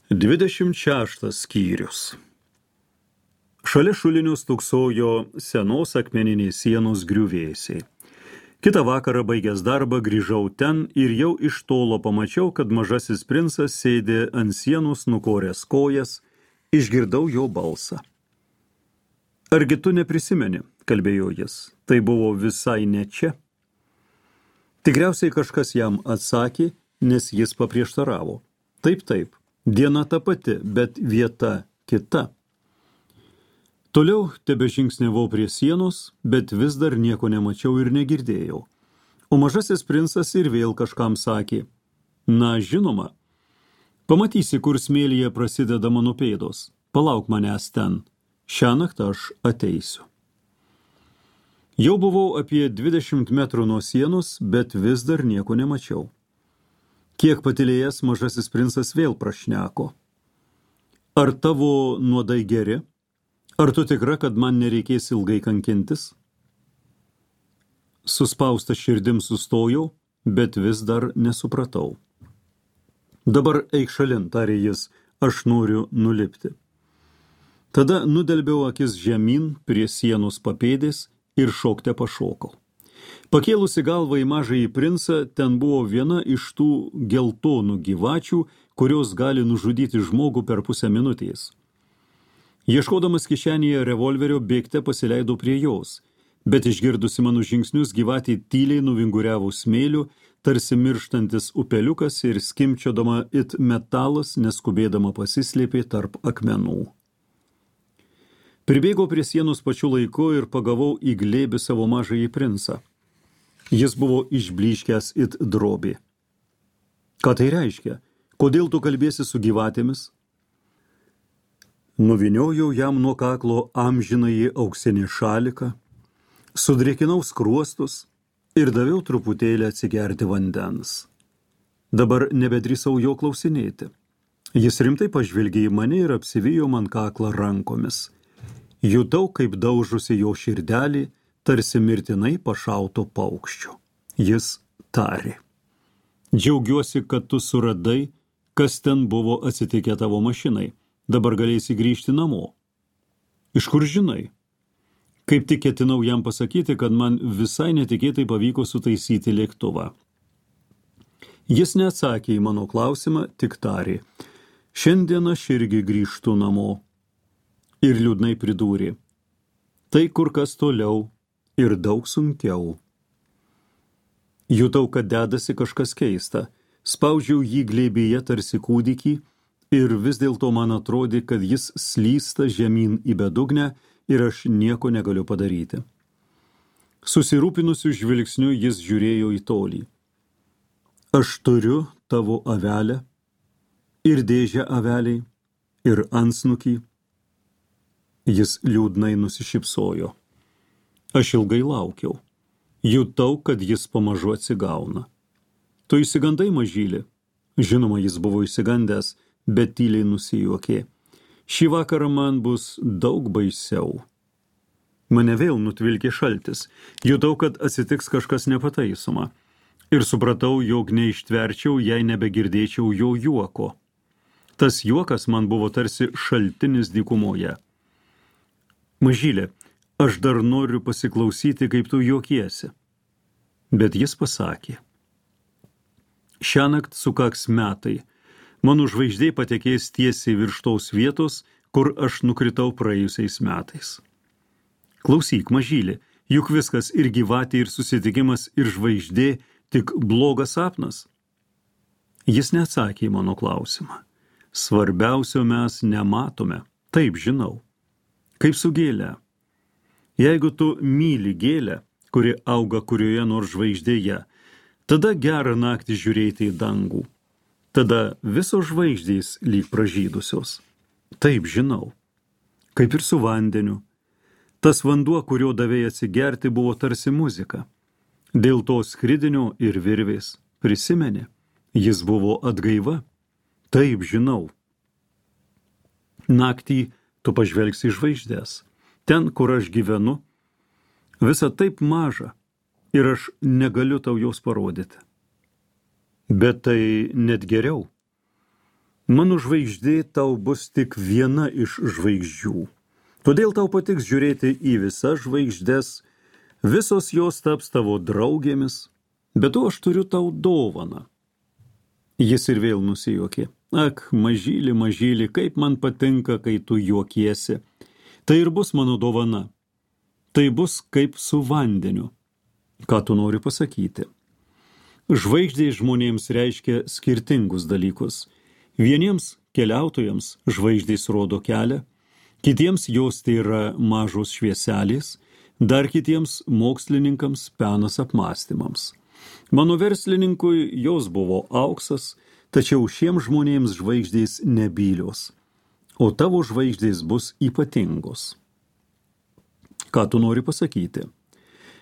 26 skyrius. Šalia šulinio stūksojo senos akmeninės sienos griuvėsiai. Kitą vakarą baigęs darbą grįžau ten ir jau iš tolo pamačiau, kad mažasis princas sėdė ant sienos nukoręs kojas, išgirdau jo balsą. Argi tu neprisimeni, kalbėjo jis, tai buvo visai ne čia. Tikriausiai kažkas jam atsakė, nes jis paprieštaravo. Taip, diena ta pati, bet vieta kita. Toliau tebežingsniavau prie sienos, bet vis dar nieko nemačiau ir negirdėjau. O mažasis princas ir vėl kažkam sakė, na, žinoma, pamatysi, kur smėlyje prasideda mano pėdos, palauk manęs ten, šiąnakt aš ateisiu. Jau buvau apie 20 metrų nuo sienos, bet vis dar nieko nemačiau. Kiek patylėjęs mažasis princas vėl prašneko. Ar tavo nuodai geri? Ar tu tikra, kad man nereikės ilgai kankintis? Suspaustą širdim sustojau, bet vis dar nesupratau. Dabar eik šalin, tarė jis, aš noriu nulipti. Tada nudelbiau akis žemyn prie sienos papėdės ir šokte pašokau. Pakėlusi galvą į mažąjį princą, ten buvo viena iš tų geltonų gyvačių, kurios gali nužudyti žmogų per pusę minutės. Ieškodamas kišenėje revolverio bėgte pasileidau prie jos, bet išgirdusi mano žingsnius gyvatė tyliai nuvinguriavo smėliu, tarsi mirštantis upeliukas ir skimčiodama it metalas, neskubėdama pasislėpė tarp akmenų. Pribėgau prie sienos pačiu laiku ir pagavau į glėbį savo mažąjį princą. Jis buvo išblyškęs it drobė. Ką tai reiškia? Kodėl tu kalbėsi su gyvatėmis? Nuviniojau jam nuo kaklo amžinąjį auksinį šaliką, sudrėkinau skruostus ir daviau truputėlį atsigerti vandens. Dabar nebedrįsau jo klausinėti. Jis rimtai pažvelgė į mane ir apsivijo man kaklą rankomis. Jutau, kaip daužusi jo širdelį, tarsi mirtinai pašauto paukščio. Jis tarė. Džiaugiuosi, kad tu suradai, kas ten buvo atsitikę tavo mašinai. Dabar galėsi grįžti namo. Iš kur žinai? Kaip tik ketinau jam pasakyti, kad man visai netikėtai pavyko sutaisyti lėktuvą. Jis neatsakė į mano klausimą, tik tarė. Šiandien aš irgi grįžtu namo. Ir liūdnai pridūrė. Tai kur kas toliau ir daug sunkiau. Jutau, kad dedasi kažkas keista. Spaudžiau jį glėbyje tarsi kūdikį ir vis dėlto man atrodė, kad jis slysta žemyn į bedugnę ir aš nieko negaliu padaryti. Susirūpinusiu žvilgsniu jis žiūrėjo į tolį. Aš turiu tavo avelę ir dėžę aveliai ir antsnukį. Jis liūdnai nusišypsojo. Aš ilgai laukiau. Jutau, kad jis pamažu atsigauna. Tu išsigandai, mažylį? Žinoma, jis buvo išsigandęs, bet tyliai nusijuokė. Šį vakarą man bus daug baisiau. Mane vėl nutvilkė šaltis. Jutau, kad atsitiks kažkas nepataisoma. Ir supratau, jog neištverčiau, jei nebegirdėčiau jo juoko. Tas juokas man buvo tarsi šaltinis dykumoje. Mažylė, aš dar noriu pasiklausyti, kaip tu juokiesi. Bet jis pasakė. Šiąnakt sukaks metai. Mano žvaigždė patekės tiesiai virš tos vietos, kur aš nukritau praėjusiais metais. Klausyk, mažylė, juk viskas ir gyvatė, ir susitikimas, ir žvaigždė tik blogas sapnas. Jis neatsakė į mano klausimą. Svarbiausio mes nematome. Taip, žinau. Kaip su gėle. Jeigu tu myli gėlę, kuri auga kurioje nors žvaigždėje, tada gerą naktį žiūrėti į dangų. Tada visos žvaigždės lyg pražydusios. Taip, žinau. Kaip ir su vandeniu. Tas vanduo, kurio davėjai atsigerti, buvo tarsi muzika. Dėl to skridinio ir virvės. Prisimeni, jis buvo atgaiva. Taip, žinau. Naktį tu pažvelgsi į žvaigždės. Ten, kur aš gyvenu, visa taip maža ir aš negaliu tau jos parodyti. Bet tai net geriau. Mano žvaigždė tau bus tik viena iš žvaigždžių. Todėl tau patiks žiūrėti į visas žvaigždes, visos jos taps tavo draugėmis, bet to aš turiu tau dovaną. Jis ir vėl nusijuokė. Ak, mažyli, mažyli, kaip man patinka, kai tu juokiesi. Tai ir bus mano dovana. Tai bus kaip su vandeniu. Ką tu nori pasakyti? Žvaigždė žmonėms reiškia skirtingus dalykus. Vieniems keliautojams žvaigždės rodo kelią, kitiems jos tai yra mažos švieselės, dar kitiems mokslininkams penas apmąstymams. Mano verslininkui jos buvo auksas, tačiau šiems žmonėms žvaigždės nebylios, o tavo žvaigždės bus ypatingos. Ką tu nori pasakyti?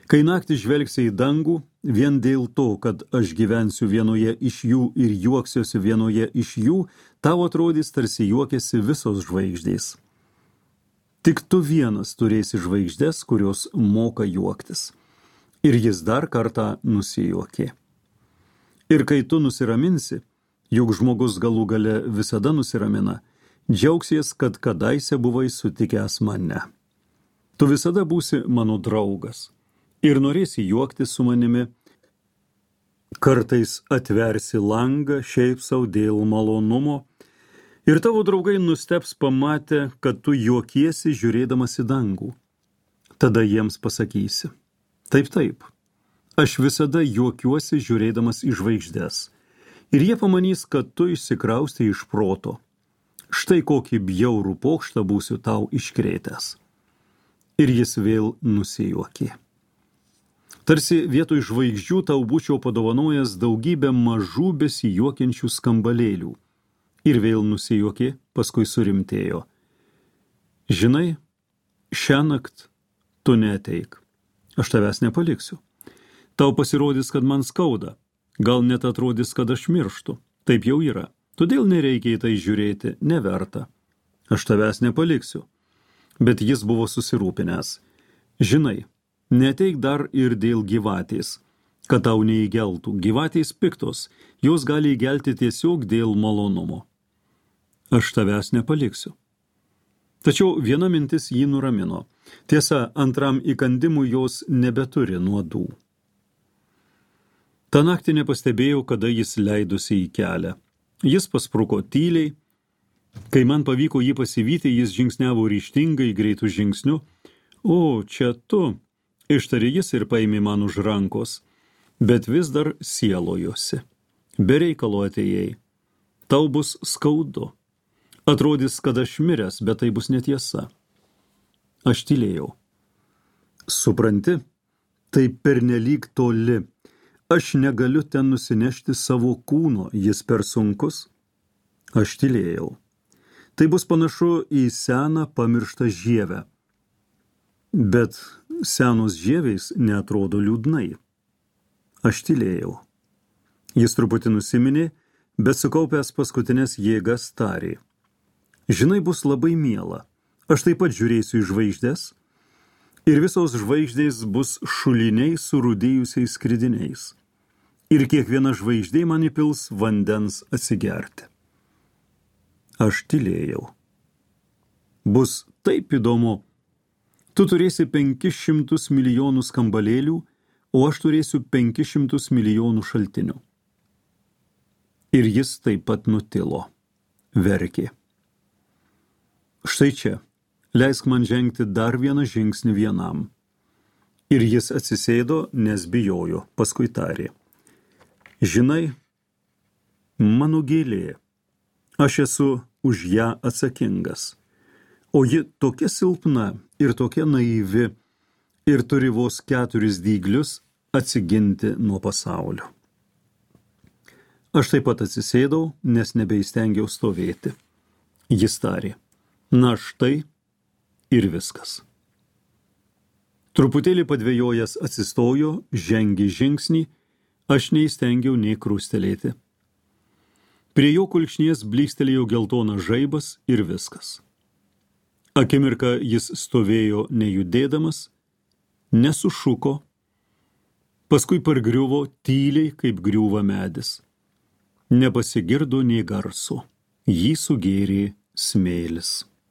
Kai naktį žvelgsi į dangų, vien dėl to, kad aš gyvensiu vienoje iš jų ir juoksiuosi vienoje iš jų, tau atrodys tarsi juokiasi visos žvaigždės. Tik tu vienas turėsi žvaigždes, kurios moka juoktis. Ir jis dar kartą nusijuokė. Ir kai tu nusiraminsi, juk žmogus galų gale visada nusiramina, džiaugsies, kad kadaise buvai sutikęs mane. Tu visada būsi mano draugas ir norėsi juoktis su manimi. Kartais atversi langą šiaip sau dėl malonumo ir tavo draugai nustebs pamatę, kad tu juokiesi žiūrėdamas į dangų. Tada jiems pasakysi. Taip, taip, aš visada juokiuosi žiūrėdamas į žvaigždes. Ir jie pamanys, kad tu išsikraustai iš proto. Štai kokį bjaurų pokštą būsiu tau iškrėtęs. Ir jis vėl nusijuokė. Tarsi vietoj žvaigždžių tau būčiau padovanojęs daugybę mažų besijuokiančių skambalėlių. Ir vėl nusijuokė, paskui surimtėjo. Žinai, šiąnakt tu neateik. Aš tavęs nepaliksiu. Tau pasirodys, kad man skauda. Gal net atrodys, kad aš mirštu. Taip jau yra. Todėl nereikia į tai žiūrėti, neverta. Aš tavęs nepaliksiu. Bet jis buvo susirūpinęs. Žinai, neateik dar ir dėl gyvatės, kad tau neįgeltų. Gyvatės piktos, jos gali įgelti tiesiog dėl malonumo. Aš tavęs nepaliksiu. Tačiau viena mintis jį nuramino. Tiesa, antram įkandimui jos nebeturi nuodų. Ta naktį nepastebėjau, kada jis leidosi į kelią. Jis paspruko tyliai. Kai man pavyko jį pasivyti, jis žingsniavo ryžtingai, greitų žingsnių. O, čia tu, ištarė jis ir paėmė man už rankos, bet vis dar sielojosi. Be reikalo atėjai. Tau bus skaudu. Atrodys, kad aš miręs, bet tai bus netiesa. Aš tylėjau. Supranti, tai pernelyg toli. Aš negaliu ten nusinešti savo kūno, jis per sunkus. Aš tylėjau. Tai bus panašu į seną pamirštą žievę. Bet senos žieviais neatrodo liūdnai. Aš tylėjau. Jis truputį nusiminė, bet sukaupęs paskutinės jėgas tarė. Žinai, bus labai miela. Aš taip pat žiūrėsiu į žvaigždes ir visos žvaigždės bus šuliniai su rudėjusiais skridiniais. Ir kiekviena žvaigždė man įpils vandens atsigerti. Aš tylėjau. Bus taip įdomu. Tu turėsi 500 milijonų skambalėlių, o aš turėsiu 500 milijonų šaltinių. Ir jis taip pat nutilo. Verkė. Štai čia. Leisk man žengti dar vieną žingsnį vienam. Ir jis atsisėdo, nes bijojo, paskui tarė. Žinai, mano gėlė, aš esu už ją atsakingas, o ji tokia silpna ir tokia naivi ir turi vos 4 dyglius atsiginti nuo pasaulio. Aš taip pat atsisėdau, nes nebeįstengiau stovėti. Jis tarė, na štai ir viskas. Truputėlį padvejojęs atsistojo, žengė žingsnį, aš neįstengiau nei krustelėti. Prie jo kulkšnies blykstelėjo geltonas žaibas ir viskas. Akimirką jis stovėjo nejudėdamas, nesušuko, paskui pargriuvo tyliai, kaip griūva medis. Nepasigirdo nei garso. Jį sugėrė smėlis.